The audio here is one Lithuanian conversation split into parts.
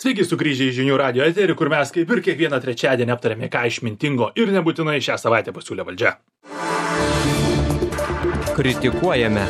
Sveiki sugrįžę į Žinių radijo eterį, kur mes kaip ir kiekvieną trečiadienį aptarėme, ką išmintingo ir nebūtinai šią savaitę pasiūlė valdžia. Kritikuojame.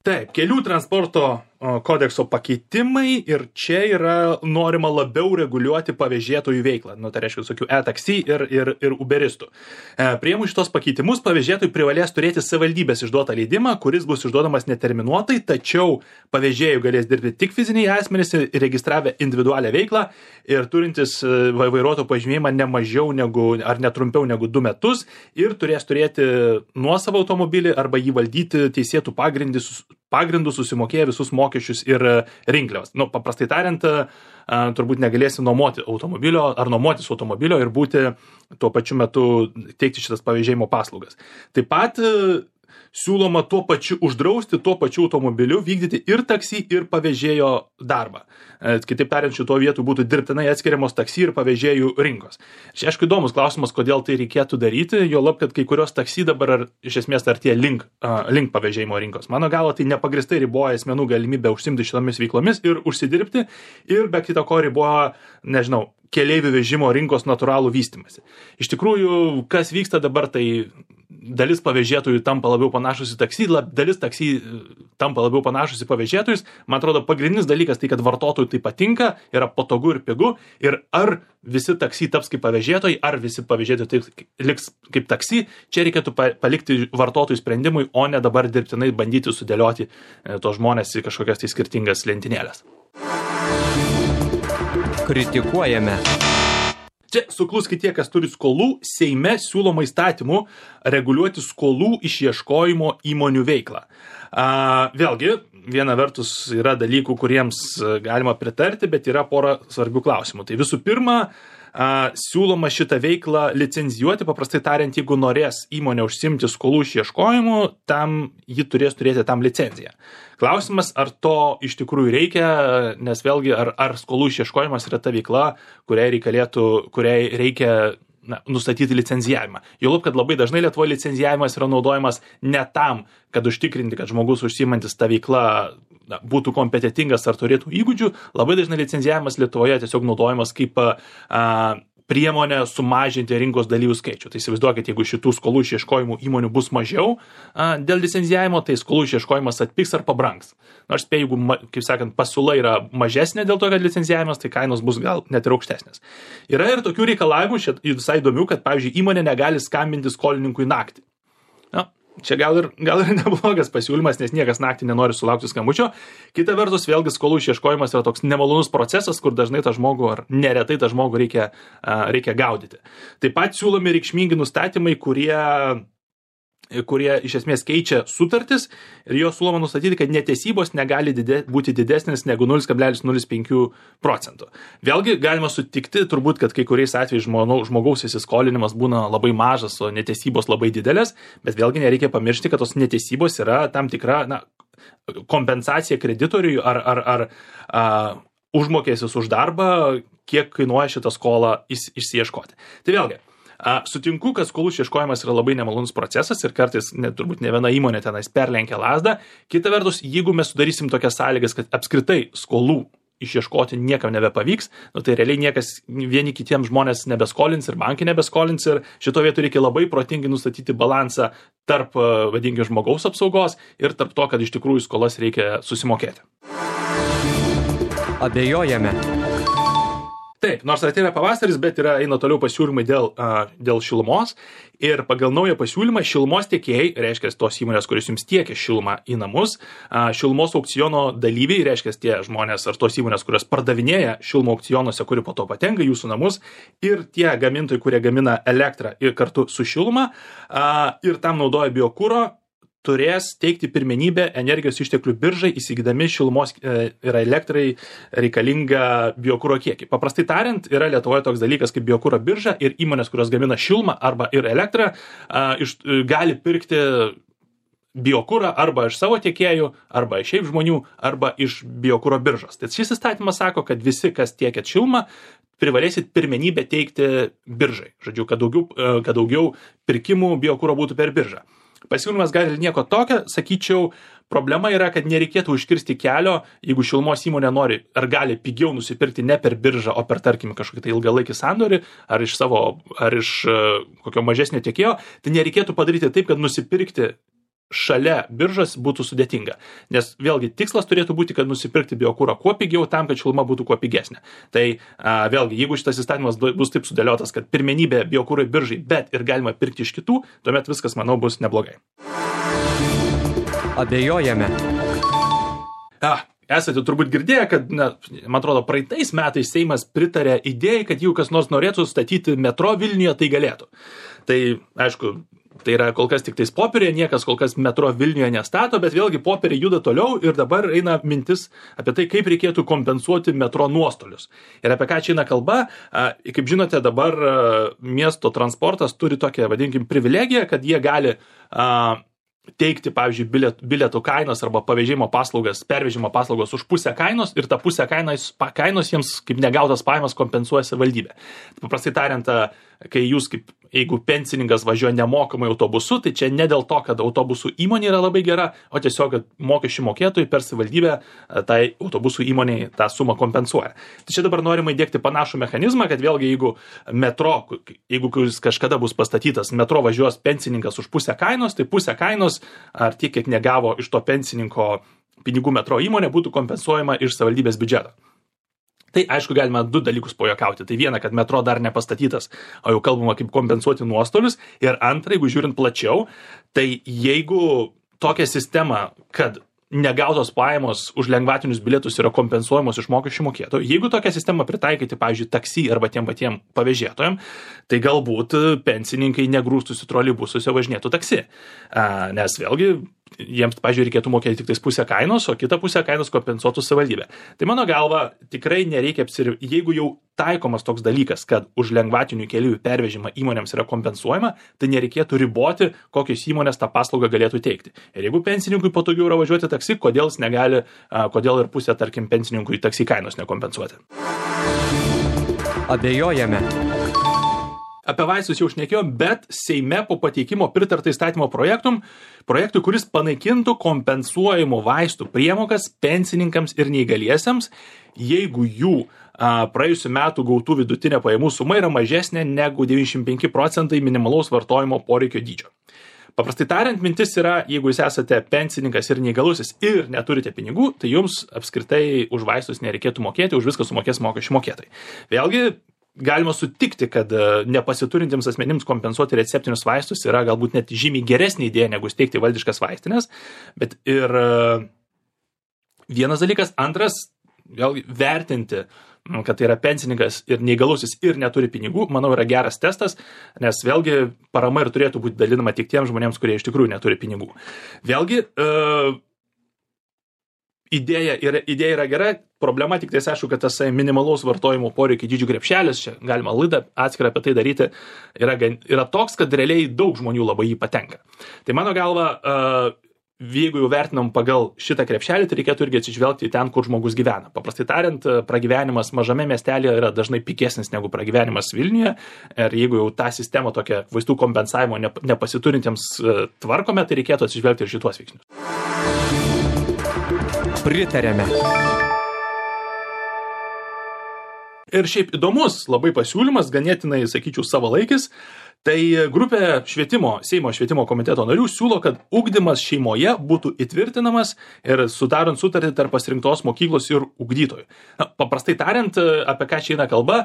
Taip, kelių transporto kodekso pakeitimai ir čia yra norima labiau reguliuoti pavėžėtojų veiklą. Tai reiškia visokių e-taksi ir uberistų. Priėmus šitos pakeitimus, pavėžėtojai privalės turėti savivaldybės išduotą leidimą, kuris bus išduodamas neterminuotai, tačiau pavėžėjų galės dirbti tik fiziniai asmenys įregistravę individualią veiklą ir turintis vairuotojo pažymėjimą ne mažiau negu ar netrumpiau negu 2 metus ir turės turėti nuosavą automobilį arba jį valdyti teisėtų pagrindų susimokėję visus mokesčius ir rinkliavas. Paprastai tariant, turbūt negalėsi nuomoti automobilio ar nuomotis automobilio ir būti tuo pačiu metu teikti šitas pavėžėjimo paslaugas. Taip pat siūloma tuo pačiu uždrausti tuo pačiu automobiliu vykdyti ir taksi, ir pavėžėjo darbą. Kitaip tariant, šito vietų būtų dirbtinai atskiriamos taksi ir pavėžėjų rinkos. Čia aišku įdomus klausimas, kodėl tai reikėtų daryti, juolab, kad kai kurios taksi dabar iš esmės artėja link pavėžėjimo rinkos. Mano galva, tai nepagristai riboja asmenų galimybę užsiimti šitomis veiklomis ir užsidirbti ir be kita ko riboja, keleivių vežimo rinkos natūralų vystymąsi. Iš tikrųjų, kas vyksta dabar, tai dalis pavėžėtojų tampa labiau panašus į taksi, dalis taksi tampa labiau panašus į pavėžėtojus. Man atrodo, pagrindinis dalykas tai, kad vartotojui tai patinka, yra patogu ir pigu. Ir ar visi taksi taps kaip pavėžėtojai, ar visi pavėžėtojai taip liks kaip taksi, čia reikėtų palikti vartotojų sprendimui, o ne dabar dirbtinai bandyti sudėlioti tos žmonės į kažkokias tai skirtingas lentynėlės. Kritikuojame. Čia sukluskit tie, kas turi skolų, Seime siūloma įstatymų reguliuoti skolų išieškojimo įmonių veiklą. Vėlgi, viena vertus yra dalykų, kuriems galima pritarti, bet yra pora svarbių klausimų. Tai visų pirma, siūloma šitą veiklą licenzijuoti, paprastai tariant, jeigu norės įmonė užsiimti skolų išieškojimu, ji turės turėti tam licenciją. Klausimas, ar to iš tikrųjų reikia, nes vėlgi, ar skolų išieškojimas yra ta veikla, kuriai reikia nustatyti licenzijavimą. Juolab, kad labai dažnai Lietuvoje licenzijavimas yra naudojamas ne tam, kad užtikrinti, kad žmogus užsiimantis tą veiklą būtų kompetitingas ar turėtų įgūdžių. Labai dažnai licenzijavimas Lietuvoje tiesiog naudojamas kaip priemonė sumažinti rinkos dalyvių skaičių. Tai įsivaizduokit, jeigu šitų skolų išieškojimų įmonių bus mažiau dėl licenzijavimo, tai skolų išieškojimas atpigs ar pabrangs. Nors spėju, jeigu, kaip sakant, pasiūla yra mažesnė dėl to, kad licenzijavimas, tai kainos bus gal net ir aukštesnės. Yra ir tokių reikalavimų, visai įdomių, kad, pavyzdžiui, įmonė negali skambinti skolininkui naktį. Čia gal ir neblogas pasiūlymas, nes niekas naktį nenori sulaukti skambučio. Kita vertus, vėlgi skolų išieškojimas yra toks nemalonus procesas, kur dažnai tą žmogų ar neretai tą žmogų reikia gaudyti. Taip pat siūlomi reikšmingi nustatymai, kurie iš esmės keičia sutartis ir jo siūloma nustatyti, kad netesybos negali būti didesnis negu 0,05%. Vėlgi galima sutikti turbūt, kad kai kuriais atvejais žmogaus įsiskolinimas būna labai mažas, o netesybos labai didelės, bet vėlgi nereikia pamiršti, kad tos netesybos yra tam tikra kompensacija kreditoriui ar užmokestis už darbą, kiek kainuoja šitą skolą išsiieškoti. Tai vėlgi, sutinku, kad skolų išieškojimas yra labai nemalonus procesas ir kartais turbūt ne viena įmonė tenais perlenkia lazdą. Kita vertus, jeigu mes sudarysim tokias sąlygas, kad apskritai skolų išieškoti niekam nebepavyks, tai realiai niekas vieni kitiems žmonės nebeskolins ir bankai nebeskolins ir šito vietu reikia labai protingai nustatyti balansą tarp, vadinkime, žmogaus apsaugos ir tarp to, kad iš tikrųjų skolas reikia susimokėti. Abejojame. Taip, nors atėjo pavasaris, bet eina toliau pasiūlymai dėl šilumos ir pagal naują pasiūlymą šilumos tiekėjai, reiškia tos įmonės, kuris jums tiekia šilumą į namus, šilumos aukciono dalyviai, reiškia tie žmonės ar tos įmonės, kurios pardavinėja šilumą aukcionuose, kuri po to patenka į jūsų namus ir tie gamintojai, kurie gamina elektrą ir kartu su šiluma ir tam naudoja biokuro, turės teikti pirmenybę energijos išteklių biržai, įsigydami šilumos ir elektrai reikalingą biokuro kiekį. Paprastai tariant, yra Lietuvoje toks dalykas kaip biokuro birža ir įmonės, kurios gamina šilumą arba ir elektrą, gali pirkti biokurą arba iš savo tiekėjų, arba iš šiaip žmonių, arba iš biokuro biržos. Tai šis įstatymas sako, kad visi, kas tiekėt šilumą, privalėsit pirmenybę teikti biržai. Žodžiu, kad daugiau pirkimų biokuro būtų per biržą. Pasiūlymas gali nieko tokio, sakyčiau, problema yra, kad nereikėtų užkirsti kelio, jeigu šilumos įmonė nori ar gali pigiau nusipirkti ne per biržą, o per, tarkim, kažkokį tai ilgalaikį sandorį, ar iš kokio mažesnio tiekėjo, tai nereikėtų padaryti taip, kad nusipirkti šalia biržos būtų sudėtinga. Nes vėlgi tikslas turėtų būti, kad nusipirkti biokūrą kuo pigiau tam, kad šiluma būtų kuo pigesnė. Tai vėlgi, jeigu šitas įstatymas bus taip sudėliotas, kad pirmenybė biokūrai biržai, bet ir galima pirkti iš kitų, tuomet viskas, manau, bus neblogai. Abejojame. Esate turbūt girdėję, kad, man atrodo, praeitais metais Seimas pritarė idėjai, kad jeigu kas nors norėtų statyti metro Vilniuje, tai galėtų. Tai, aišku, tai yra kol kas tik tais popierė, niekas kol kas metro Vilniuje nestato, bet vėlgi popierė juda toliau ir dabar eina mintis apie tai, kaip reikėtų kompensuoti metro nuostolius. Ir apie ką čia eina kalba, kaip žinote, dabar miesto transportas turi tokią, vadinkim, privilegiją, kad jie gali teikti, pavyzdžiui, bilietų kainos arba pervežimo paslaugos už pusę kainos ir tą pusę kainos jiems kaip negautas pajamas kompensuoja savivaldybė. Paprastai tariant, kai jūs jeigu pensininkas važiuoja nemokamai autobusu, tai čia ne dėl to, kad autobusų įmonė yra labai gera, o tiesiog, kad mokesčių mokėtojai per savivaldybę tai autobusų įmonei tą sumą kompensuoja. Tai čia dabar norima įdiegti panašų mechanizmą, kad vėlgi jeigu kažkada bus pastatytas metro važiuos pensininkas už pusę kainos, tai pusę kainos ar tiek, kiek negavo iš to pensininko pinigų metro įmonė, būtų kompensuojama iš savivaldybės biudžeto. Tai aišku, galima du dalykus pajuokauti. Tai viena, kad metro dar nepastatytas, o jau kalbama kaip kompensuoti nuostolius. Ir antra, jeigu žiūrint plačiau, tai jeigu tokia sistema, kad negautos pajamos už lengvatinius bilietus yra kompensuojamos iš mokesčių mokėtojų, jeigu tokią sistemą pritaikyti, pavyzdžiui, taksi arba tiem patiem pavėžėtojam, tai galbūt pensininkai negrūstųsi troleibusuose važinėtų taksi. Nes vėlgi jiems, pavyzdžiui, reikėtų mokėti tik tais pusę kainos, o kitą pusę kainos kompensuotų savivaldybė. Tai mano galva, tikrai nereikia jeigu jau taikomas toks dalykas, kad už lengvatinių keleivių pervežimą įmonėms yra kompensuojama, tai nereikėtų riboti, kokios įmonės tą paslaugą galėtų teikti. Ir jeigu pensininkui patogiau yra važiuoti taksi, kodėl ir pusę, tarkim, pensininkui taksi kainos nekompensuoti. Abejojame. Apie vaistus jau šnekėjom, bet Seime po pateikimo pritarta įstatymo projektui, kuris panaikintų kompensuojamų vaistų priemokas pensininkams ir neįgaliesiems, jeigu jų praėjusių metų gautų vidutinė pajamų suma yra mažesnė negu 95% minimalaus vartojimo poreikio dydžio. Paprastai tariant, mintis yra, jeigu jūs esate pensininkas ir neįgalusis ir neturite pinigų, tai jums apskritai už vaistus nereikėtų mokėti, už viską sumokės mokesčių mokėtojai. Vėlgi, galima sutikti, kad nepasiturintiems asmenims kompensuoti receptinius vaistus yra galbūt net žymiai geresnė idėja negu steigti valdiškas vaistinės, bet ir vienas dalykas, antras, vėlgi vertinti, kad tai yra pensininkas ir neįgalusis ir neturi pinigų, manau, yra geras testas, nes vėlgi parama ir turėtų būti dalinama tik tiems žmonėms, kurie iš tikrųjų neturi pinigų. Vėlgi, idėja yra gera, problema tik tai aišku, kad tas minimalaus vartojimo poreikio dydžių krepšelis, čia galima laidą atskirą apie tai daryti, yra toks, kad realiai daug žmonių labai jį patenka. Tai mano galva, jeigu jau vertinam pagal šitą krepšelį, tai reikėtų irgi atsižvelgti ten, kur žmogus gyvena. Paprastai tariant, pragyvenimas mažame miestelėje yra dažnai pigesnis negu pragyvenimas Vilniuje. Ir jeigu jau tą sistemą tokią vaistų kompensavimo nepasiturintiems tvarkome, tai reikėtų atsižvelgti ir šituos veiksnius. Pritarėme. Ir šiaip įdomus labai pasiūlymas, ganėtinai, sakyčiau, savalaikis. Tai grupė Seimo švietimo komiteto narių siūlo, kad ugdymas šeimoje būtų įtvirtinamas ir sudarant sutartį tarp pasirinktos mokyklos ir ugdytojų. Paprastai tariant, apie ką čia eina kalba,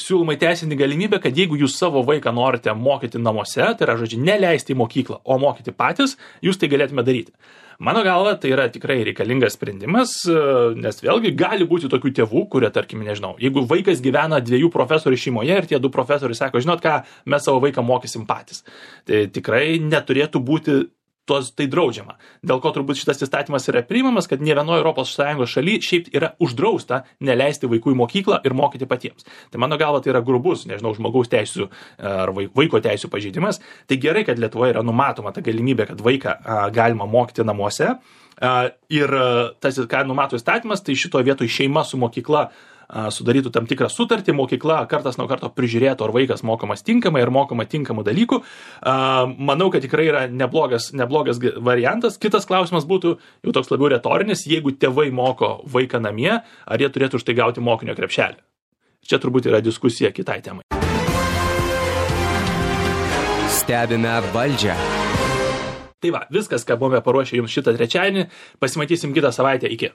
siūloma įteisinti galimybę, kad jeigu jūs savo vaiką norite mokyti namuose, tai yra, žodžiu, neleisti į mokyklą, o mokyti patys, jūs tai galėtume daryti. Mano galva, tai yra tikrai reikalingas sprendimas, nes vėlgi gali būti tokių tėvų, kurie, tarkim, nežinau, jeigu vaikas gyvena 2 profesorių šeimoje ir tie 2 profesoriai sako, žinot ką, mes savo vaiką mokysim patys. Tai tikrai neturėtų būti tai draudžiama. Dėl ko turbūt šitas įstatymas yra priimamas, kad ne vienoje ES šaly šiaip yra uždrausta neleisti vaikų į mokyklą ir mokyti patiems. Tai mano galva tai yra grubus, nežinau, žmogaus teisių ar vaiko teisių pažeidimas. Tai gerai, kad Lietuvoje yra numatoma ta galimybė, kad vaiką galima mokyti namuose. Ir tas, ką numato įstatymas, tai šitoje vietoje šeima su mokykla sudarytų tam tikrą sutartį, mokykla kartas nuo karto prižiūrėtų, ar vaikas mokomas tinkamai, ar mokoma tinkamų dalykų. Manau, kad tikrai yra neblogas variantas. Kitas klausimas būtų jau toks labiau retorinis, jeigu tėvai moko vaiką namie, ar jie turėtų už tai gauti mokinio krepšelį. Čia turbūt yra diskusija kitai temai. Stebime valdžią. Tai va, viskas, ką buvome paruošę jums šitą trečiadienį. Pasimatysim kitą savaitę. Iki.